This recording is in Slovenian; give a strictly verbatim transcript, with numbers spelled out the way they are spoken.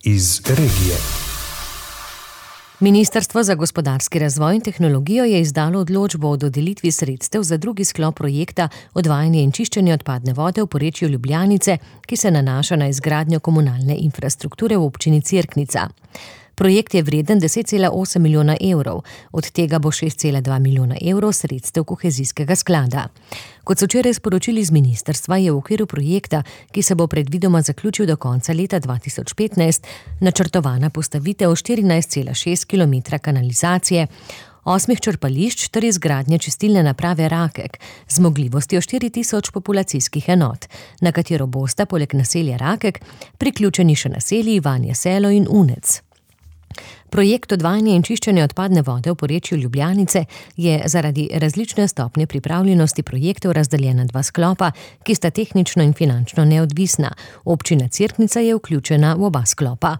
iz regije. Ministrstvo za gospodarski razvoj in tehnologijo je izdalo odločbo o dodelitvi sredstev za drugi sklop projekta odvajanje in čiščenje odpadne vode v porečju Ljubljanice, ki se nanaša na izgradnjo komunalne infrastrukture v občini Cerknica. Projekt je vreden deset cela osem milijona evrov, od tega bo šest cela dva milijona evrov sredstev kohezijskega sklada. Kot so včeraj sporočili z ministrstva, je v okviru projekta, ki se bo predvidoma zaključil do konca leta dva tisoč petnajst, načrtovana postavitev štirinajst cela šest kilometra kanalizacije, osmih črpališč ter izgradnja čistilne naprave Rakek z zmogljivostjo štiri tisoč populacijskih enot, na katero bosta poleg naselja Rakek priključeni še naselji Ivanje Selo in Unec. Projekt odvajanja in čiščenja odpadne vode v porečju Ljubljanice je zaradi različne stopnje pripravljenosti projektov razdeljen na dva sklopa, ki sta tehnično in finančno neodvisna. Občina Cerknica je vključena v oba sklopa.